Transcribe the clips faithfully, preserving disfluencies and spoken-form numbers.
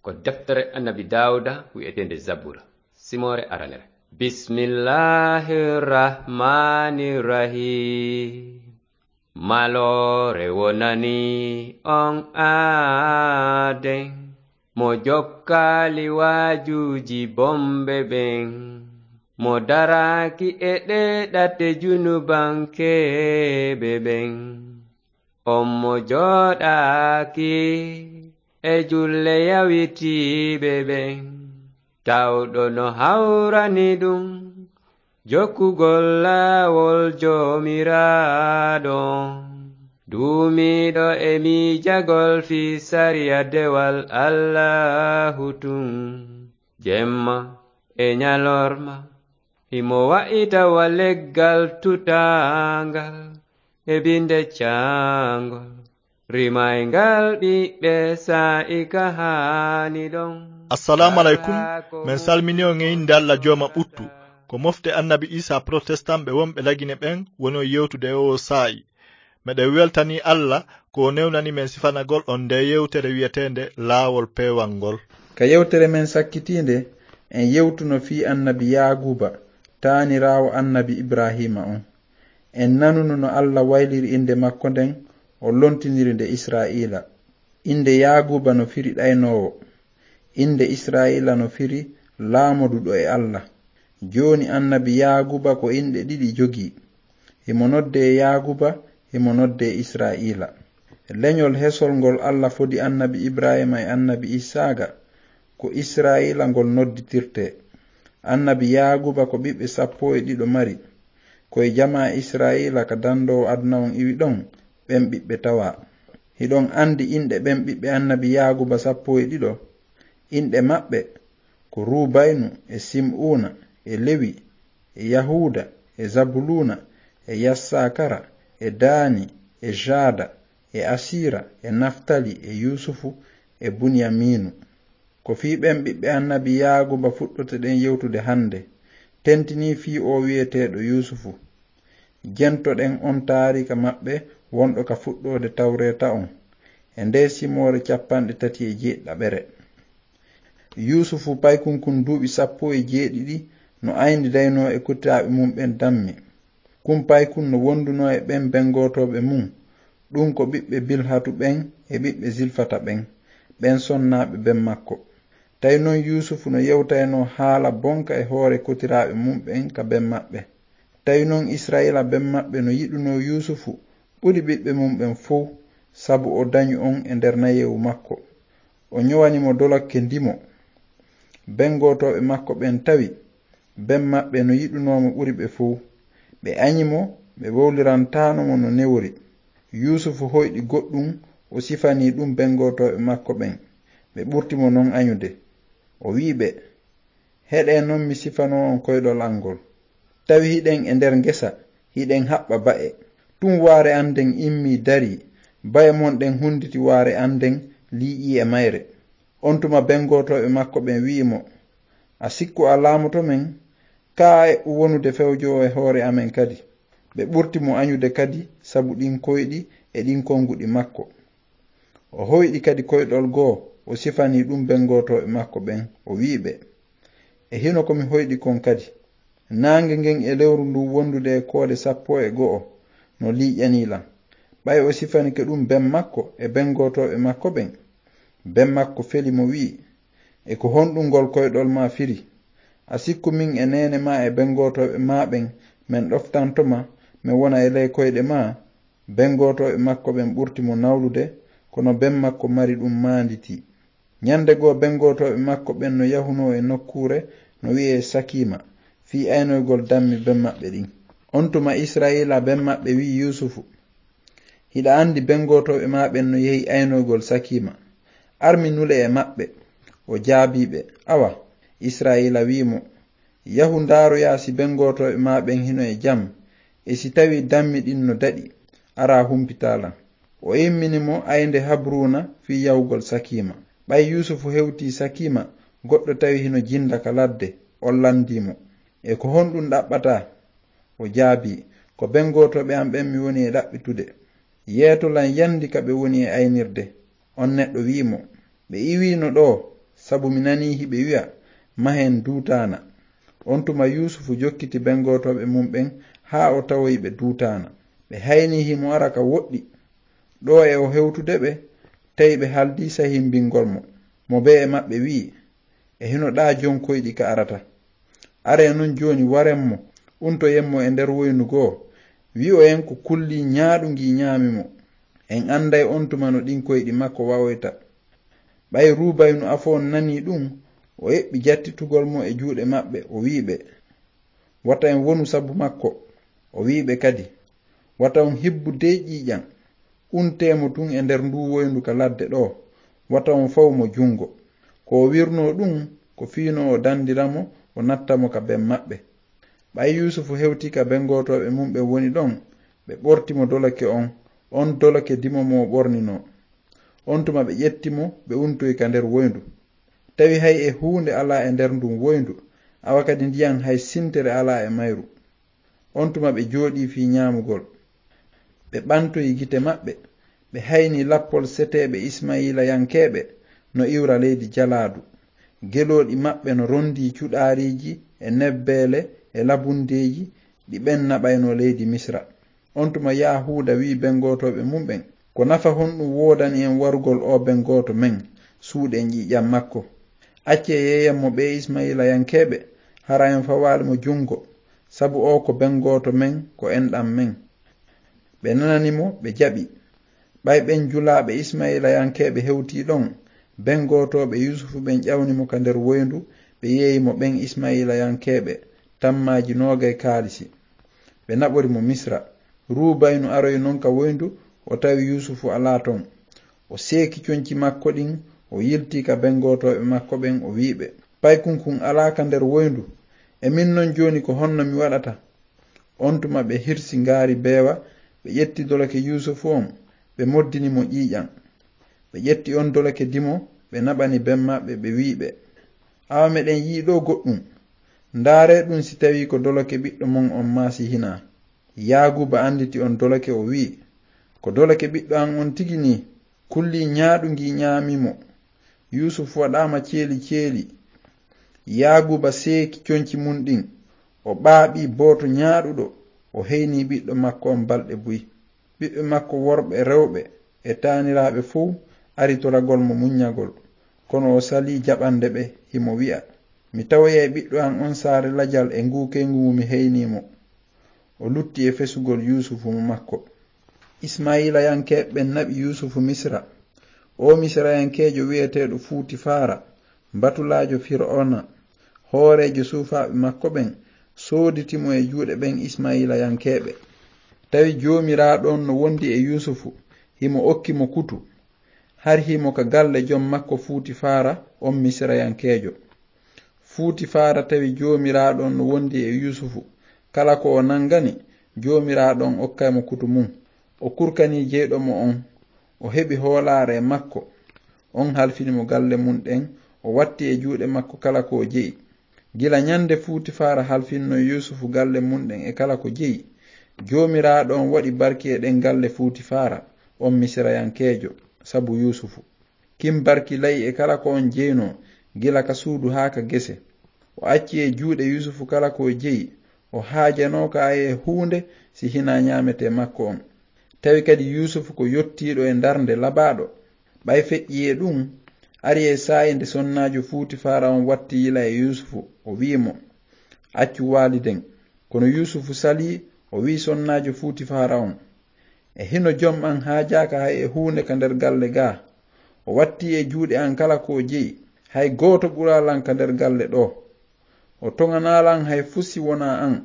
Ko deftere Annabi Daawuda wi'eteende Zabura, simoore aranere. Bismillahir Rahmanir Rahim. Maloore wonani on aaden, mo jokkaali waajuuji bomɓe ɓen, mo daraaki e ɗee ɗate junubankeeɓe ɓen. On mo jooɗaaki e julle yawitiiɓe ɓen, tawɗo no hawrani ɗum jokkugol laawol Joomiraaɗo, duumiiɗo e miijagol fii sariya dewal Allaahu tun, jemma e ñalorma. Himo wa'ita wa leggal tutaangal e binde caangol, rimayngal ɓiɓɓe saa'i ka haani ɗon. Assalamu alaikum. Men salmini on e innde Alla Jooma ɓuttu. Ko mofte Annabi Isa Protestant ɓe wonɓe Lagine ɓen woni on yewtude e oo saa'i. Meɗen weltanii Alla ko o newnani men sifanagol on ndee yewtere wi'eteende Laawol Peewal ngol. Ka yewtere men sakkitiinde, en yewtuno fii Annabi Yaaguuba, taaniraawo Annabi Ibraahiima on. En nanuno no Alla wayliri innde makko nden, o lontiniri nde Israa'iila. Innde Yaaguuba no firi ɗaynoowo. Innde Israa'iila no firi laamoduɗo e Alla. Jooni Annabi Yaaguuba ko inɗe ɗiɗi jogii. Himo noddee Yaaguuba, himo noddee Israa'iila. Leñol hesol ngol Alla fodi Annabi Ibraahiima e Annabi Isaaqa, ko Israa'iila ngol nodditirtee. Annabi Yaaguuba ko ɓiɓɓe sappo e ɗiɗo mari. Ko e jamaa Israa'iila ka dandoowo aduna on iwi ɗon, ɓen ɓiɓɓe tawaa. Hiɗon andi inɗe ɓen ɓiɓɓe Annabi Yaaguuba sappo e ɗiɗo? Inɗe maɓɓe ko Ruubaynu e Sim'uuna e Lewi e Yahuuda e Zabuluuna e Yassakara e Daani e Jaada e Asiira e Naftali e Yuusufu e Buniyamiinu. Ko fii ɓen ɓiɓɓe Annabi Yaaguuba fuɗɗotoɗen yewtude hande, tentinii fii oo wi'eteeɗo Yuusufu. Jentoɗen on taariika maɓɓe wonɗo ka fuɗɗoode Tawreeta on, e ndee simoore cappanɗe tati e jeeɗiɗaɓere. Yuusufu paykun kun duuɓi sappo e jeeɗiɗi no ayndidaynoo e kutiraaɓe mun ɓen dammi. Kun paykun no wondunoo e ɓen bengotooɓe mun, ɗun ko ɓiɓɓe Bilhatu ɓen e ɓiɓɓe Zilfata ɓen, ɓen sonnaaɓe ben makko. Tawi non Yuusufu no yewtaynoo haala bonka e hoore kutiraaɓe mun ɓen ka ben maɓɓe. Tawi non Israa'iila ben maɓɓe no yiɗunoo Yuusufu ɓuri ɓiɓɓe mun ɓen fow, sabu o danyu on e nder nayeewu makko. O ñowani mo dolokke ndimo. Bengotooɓe makko ɓen tawi ben maɓɓe no yiɗunoo mo ɓuri ɓe fow. Ɓe anyi mo, ɓe wowlirantaano mo no newori. Yuusufu hoyɗi goɗɗun, o sifanii ɗun bengotooɓe makko ɓen. Ɓe ɓurti mo non anyude. O wi'i ɓe, "Heɗee non mi sifanoo on koyɗol an ngol. Tawi hiɗen e nder ngesa, hiɗen haɓɓa ba'e. Tun waare an nden immii darii, ba'e mon ɗen hunditi waare an nden, liiƴii e mayre." On tuma bengotooɓe makko ɓen wi'i mo, "A sikku a laamoto men? Kaa a eɓɓu wonude fewjoowo e hoore amen kadi?" Ɓe ɓurti mo anyude kadi sabu ɗin koyɗi e ɗin konguɗi makko. O hoyɗi kadi koyɗol goo, o sifanii ɗun bengotooɓe makko ɓen, o wi'i ɓe, "E hino ko mi hoyɗi kon kadi. Naange ngen e lewru ndun wondude e koode sappo e go'o no liiƴanii lan." Ɓay o sifanike ɗun ben makko e bengotooɓe makko ɓen, ben makko feli mo wi'i, "E ko honɗun ngol koyɗol maa firi? A sikku min e neene maa e bengotooɓe maa ɓen men ɗoftanto ma, men wona e ley koyɗe maa?" Bengotooɓe makko ɓen ɓurti mo nawlude, kono ben makko mari ɗun maanditi. Ñande goo bengotooɓe makko ɓen no yahunoo e nokkuure no wi'ee Sakiima, fii aynoygol dammi ben maɓɓe ɗin. On tuma Israa'iila ben maɓɓe wi'i Yuusufu, "Hiɗa andi bengotooɓe maa ɓen no yehi aynoygol Sakiima. Ar mi nule e maɓɓe." O jaabii ɓe. Awa, Israa'iila wi'i mo, "Yahu ndaaroyaa si bengotooɓe maa ɓen hino e jam, e si tawii dammi ɗin no daɗi, araa humpitaa lan." O immini mo aynde Habruuna fii yahugol Sakiima. Ɓay Yuusufu hewtii Sakiima, goɗɗo tawi hino jinda ka ladde, on landii mo, "E ko honɗun ɗaɓɓataa?" O jaabii, "Ko bengotooɓe an ɓen mi woni e ɗaɓɓitude. Yeeto lan yandi ka ɓe woni e aynirde." On neɗɗo wi'i mo, "Ɓe iwiino ɗoo, sabu mi nanii hiɓe wi'a, mahen duutaana. On tuma Yuusufu jokkiti bengotooɓe mum ɓen haa o tawoyi ɓe duutaana. Ɓe haynii himo ara ka woɗɗi. Ɗoo e o hewtude ɓe, tawi ɓe haldii sahimbingol mo. Mo bee e maɓɓe wi'i, e hino ɗaa jon koyɗi ka arata. Aree non jooni waren mo, untoyen mo e nder woyndu goo, wi'oyen ko kulli ñaaɗu ngi ñaami mo. En anday on tuma no ɗin koyɗi makko wawoyta. Ɓay Ruubaynu afo on nanii ɗun, o eɓɓi jattitugol mo e juuɗe maɓɓe, o wi'i ɓe, wata en wonu sabu makko. O wi'i ɓe kadi, wata on hibbu dey ƴiiƴan, untee mo tun e nder nduu woyndu ka ladde ɗoo, wata on fawu mo jungo. Ko o wirnoo ɗun, ko fii no o dandira mo, o natta mo ka ben maɓɓe. Ɓay Yuusufu hewtii ka bengotooɓe mum ɓen woni ɗon, ɓe ɓorti mo dolake on, on dolake dimo mo o ɓorninoo. On tuma ɓe ƴetti mo, ɓe untoyi ka nder woyndu. Tawi hay e huunde alaa e nder ndun woyndu, awa kadi ndiyan hay sintere alaa e mayru. On tuma ɓe jooɗii fii ñaamugol. Ɓe ɓantoyi gite maɓɓe, ɓe hayni lappol seteeɓe Ismayiilayankeeɓe no iwra leydi jalaadu. Gelooɗi maɓɓe no rondii cuɗaariiji e nebbeele e labundeeji ɗi ɓen naɓaynoo leydi Misra. On tuma Yahuuda wi'i bengotooɓe mum ɓen, ko nafa honɗun woodani en warugol oo bengooto men, suuɗen ƴiiƴan makko? Accee yeeyen mo ɓee Ismayiilayankeeɓe, hara en fawaali mo jungo, sabu oo ko bengooto men, ko enɗan men. Ɓe nanani mo, ɓe jaɓi. Ɓay ɓen julaaɓe Ismayiilayankeeɓe hewtii ɗon, bengotooɓe Yuusufu ɓen ƴawni mo ka nder woyndu, ɓe yeeyi mo ɓen Ismayiilayankeeɓe tammaaji noogay kaalisi. Ɓe naɓori mo Misra. Ruubaynu aroyi non ka woyndu, o tawi Yuusufu alaa ton. O seeki conci makko ɗin, o yiltii ka bengotooɓe makko ɓen, o wi'i ɓe, paykunkun alaa ka nder woyndu. E min non jooni ko honno mi waɗata? On tuma ɓe hirsi ngaari beewa, ɓe ƴetti dolake Yuusufu on, ɓe moddini mo ƴiiƴan. Ɓe ƴetti on dolake dimo, ɓe naɓani ben maɓɓe, ɓe wi'i ɓe, awa meɗen yi'i ɗoo goɗɗun. Ndaaree ɗun si tawii ko dolake ɓiɗɗo mon on maa si hinaa. Yaaguuba anditi on dolake, o wi'i, ko dolake ɓiɗɗo an on tigi nii. Kulli ñaaɗu ngi ñaami mo. Yuusufu waɗaama ceeli ceeli. Yaaguuba seeki conci mun ɗin. O ɓaaɓi booto ñaaɗuɗo. O heyni ɓiɗɗo makko on balɗe buy. Ɓiɓɓe makko worɓe, rewɓe e taaniraaɓe fow ari toragol mo muññagol. Kono o salii jaɓande ɓe, himo wi'a, mi tawoyay ɓiɗɗo an on saare lajal e nguu keyngu ngu mi heyni mo. O lutti e fesugol Yuusufu mo makko. Ismayiilayankeeɓe ɓen naɓi Yuusufu Misra. Oo Misirayankeejo wi'eteeɗo Fuutifaara, mbatulaajo Fir'awna, hooreejo suufaaɓe makko ɓen, sooditi mo e juuɗe ɓen Ismayiilayankeeɓe. Tawi Joomiraaɗo on no wondi e Yuusufu, himo okki mo kutu. Hari himo ka galle jom makko Fuutifaara on Misirayankeejo. Fuutifaara tawi Joomiraaɗo on no wondi e Yuusufu. Kala ko o nangani, Joomiraaɗo on okkay mo kutu mun. O kurkanii jeyɗo mo on. O heɓi hoolaare e makko. On halfini mo galle mun ɗen, o watti e juuɗe makko kala ko o jeyi. Gila ñande Fuutifaara halfinno Yuusufu galle mun ɗen e kala ko jeyi, Joomiraaɗo on waɗi barki e ɗen galle Fuutifaara on Misirayankeejo, sabu Yuusufu. Kin barki la'i e kala ko on jeynoo, gila ka suudu haa ka gese. O acci e juuɗe Yuusufu kala ko o jeyi, o haajanooka e huunde si hinaa ñaametee makko on. Tawi kadi Yuusufu ko yottiiɗo e ndarnde labaaɗo. Ɓay feƴƴii e ɗun, ari e saa'i nde sonnaajo Fuutifaara on watti yila e Yuusufu, o wi'i mo, accu waaliden. Kono Yuusufu salii, o wi'i sonnaajo Fuutifaara on, e hino jom an haajaaka hay e huunde ka nder galle gaa. O wattii e juuɗe an kala ko o jeyi, hay gooto ɓuraa lan ka nder galle ɗoo. O toŋanaa lan hay fuu si wonaa an,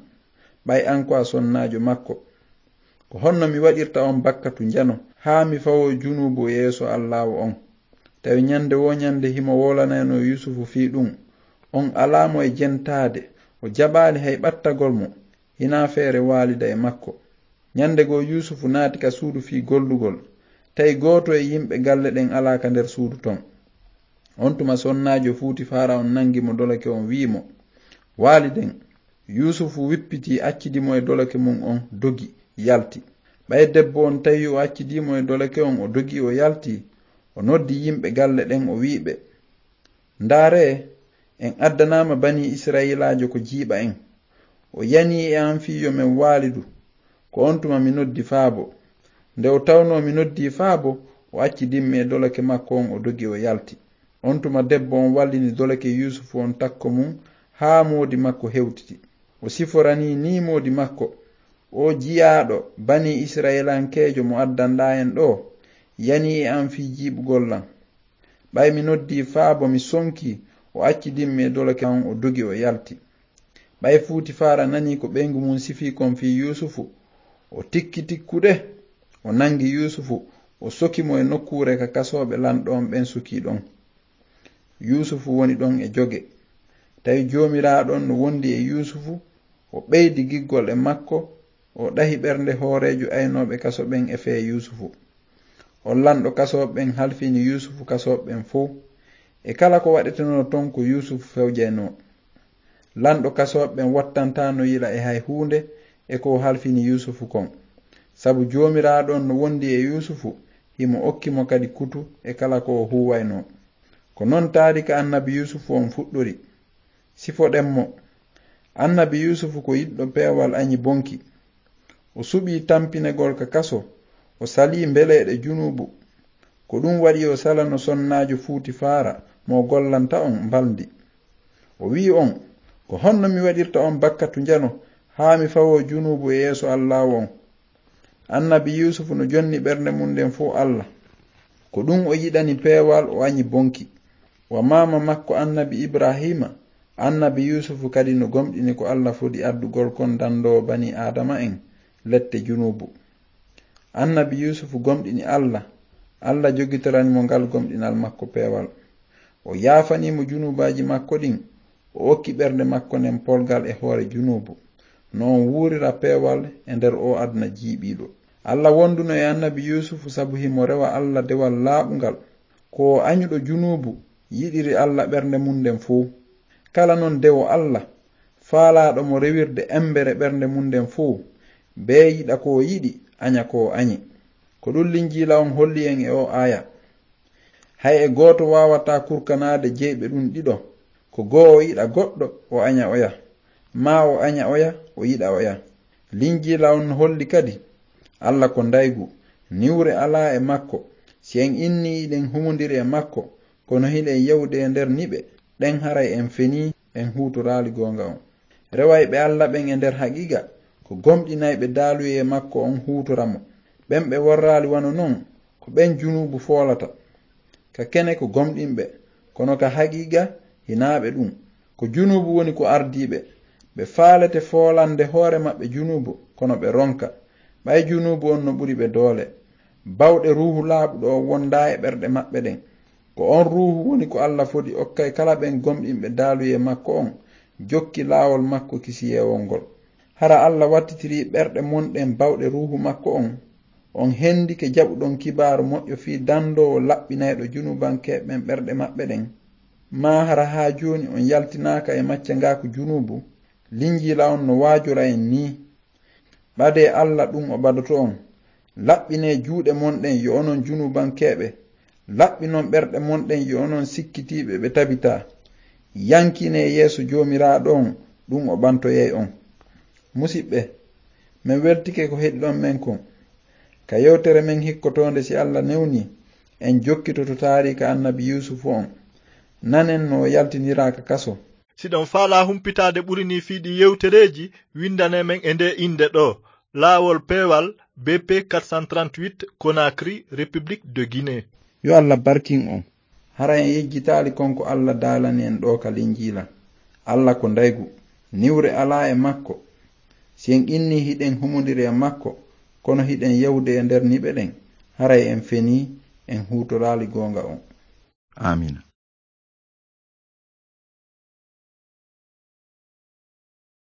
ɓay an ko a sonnaajo makko. Ko honno mi waɗirta on bakkatu njano, haa mi fawoo junuubu yeeso Allaahu on? Tawi ñande woo ñande himo woolanaynoo Yuusufu fii ɗun. On alaa mo e jentaade, o jaɓaali hay ɓattagol mo, hinaa feere waalida e makko. Ñande goo Yuusufu naati ka suudu fii gollugol, tawi gooto e yimɓe galle ɗen alaa ka nder suudu ton. On tuma sonnaajo Fuutifaara on nangi mo dolake on wi'i mo, waaliden. Yuusufu wippitii, accidi mo e dolake mun on, dogi, yalti. Ɓay debbo on tawi o accidii mo e dolake on, o dogi, o yalti, o noddi yimɓe galle ɗen, o wi'i ɓe, Ndaaree, en addanaama banii Isra'iilaajo ko jiiɓa en. O yanii e am fii yo men waalidu. Ko on tuma mi noddi faabo. Nde o tawnoo mi noddii faabo, o acci dimmi e dolake makko on, o dogi, o yalti. On tuma debbo on wallini dolake Yuusufu on takko mun haa moodi makko hewtiti. O siforanii nii moodi makko, "Oo jiyaaɗo banii Isra'iilankeejo mo addanɗaa en ɗoo, yanii e am fii jiiɓugol lan. Ɓay mi noddii faabo, mi sonkii, o acci dimmi e dolake on, o dogi, o yalti." Ɓay Fuutifaara nanii ko ɓeyngu mun sifii kon fii Yuusufu, o tikki tikkude, o nangi Yuusufu, o soki mo e nokkuure ka kasooɓe lanɗo on ɓen sukii ɗon. Yuusufu woni ɗon e joge. Tawi Joomiraaɗo on no wondi e Yuusufu, o ɓeydi giggol e makko, o ɗahi ɓernde hooreejo aynooɓe kaso ɓen e fee Yuusufu. On lanɗo kasooɓe ɓen halfini Yuusufu kasooɓe ɓen fow. E kala ko waɗetenoo ton ko Yuusufu fewjaynoo. Lanɗo kasooɓe ɓen wattantaano yila e hay huunde e ko o halfini Yuusufu kon. Sabu Joomiraaɗo on no wondi e Yuusufu, himo okki mo kadi kutu e kala ko o huuwaynoo. Ko non taarika annabi Yuusufu on fuɗɗori. Sifoɗen mo. Annabi Yuusufu ko yiɗɗo peewal aɲi bonki. O suɓii tampinegol ka kaso, o salii mbeleeɗe junuubu. Ko ɗun waɗi o salano sonnaajo Fuutifaara mo o gollanta on mbalndi. O wi'i on, "Ko honno mi waɗirta on bakkatu njano haa mi fawoo junuubu e yeeso Allaahu on?" Annabi Yuusufu no jonni ɓernde mun nden fow Alla. Ko ɗun o yiɗani peewal, o aɲi bonki. Wa maama makko annabi Ibraahiima, annabi Yuusufu kadi no gomɗini ko Alla fodi addugol kon dandoowo banii Aadama en lette junuubu. Annabi Yuusufu gomɗini Alla, Alla jogitorani mo ngal gomɗinal makko peewal. O yaafanii mo junuubaaji makko ɗin, o okki ɓernde makko nden polgal e hoore junuubu, no on wuurira peewal e nder oo aduna jiiɓiiɗo. Alla wonduno e annabi Yuusufu sabu himo rewa Alla dewal laaɓungal. Ko o aɲuɗo junuubu yiɗiri Alla ɓernde mun nden fow. Kala non dewo Alla, faalaaɗo mo rewirde embere ɓernde mun nden fow, bee yiɗa ko o yiɗi, aɲa ko o aɲi. Ko ɗun Linjiila on holli en e oo aaya. Hay e gooto waawataa kurkanaade jeyɓe ɗun ɗiɗo, ko goo o yiɗa goɗɗo, o aɲa oya, maa o aɲa oya, o yiɗa oya. Linjiila on no holli kadi, Alla ko ndaygu, niwre alaa e makko. Si en innii hiɗen humondiri e makko, kono hiɗen yewde e nder niɓe, ɗen haray en fenii, en huutoraali goonga on. Rewayɓe Alla ɓen e nder haqiiqa, ko gomɗinayɓe daaluyee makko on huutora mo. Ɓen ɓe worraali wano non, ko ɓen junuubu foolata. Ka kene ko gomɗinɓe, kono ka haqiiqa hinaa ɓe ɗun. Ko junuubu woni ko ardii ɓe. Ɓe faalete foolande hoore maɓɓe junuubu, kono ɓe ronka. Ɓay junuubu on no ɓuri ɓe doole. Bawɗe Ruuhu Laaɓuɗo on wondaa e ɓerɗe maɓɓe ɗen. Ko on Ruuhu woni ko Alla fodi okkay kala ɓen gomɗinɓe daaluyee makko on, jokki laawol makko kisiyeewol ngol. Hara Alla wattitirii ɓerɗe mon ɗen bawɗe Ruuhu makko on, on hendike jaɓuɗon kibaaru moƴƴo fii dandoowo laɓɓinayɗo junuubankeeɓe ɓen ɓerɗe maɓɓe ɗen? Maa hara haa jooni on yaltinaaka e maccangaaku junuubu? Linjiila on no waajora en nii. Ɓadee Alla ɗun o ɓadoto on. Laɓɓinee juuɗe mon ɗen yo onon junuubankeeɓe. Laɓɓinon ɓerɗe mon ɗen yo onon sikkitiiɓe ɓe tabitaa. Yankinee yeeso Joomiraaɗo on, ɗun o ɓantoyay on. Musiɓɓe, men weltike ko heɗiɗon men kon. Ka yewtere men hikkotoonde, si Alla newnii, en jokkitoto taariika annabi Yuusufu on. Nanen no o yaltiniraa ka kaso. Siɗon faalaa humpitaade ɓuri nii fii ɗii yewtereeji, windanee men e ndee innde ɗoo, Laawol Peewal, B P quatre cent trente-huit, Conakry, République de Guinée. Yo Alla barkin on. Hara en yejjitaali kon ko Alla daalani en ɗoo ka Linjiila. Alla ko ndaygu, niwre alaa e makko. Si en innii hiɗen humondiri e makko, kono hiɗen yewde e nder niɓe ɗen, haray en fenii, en huutoraali goonga on. Aamiina.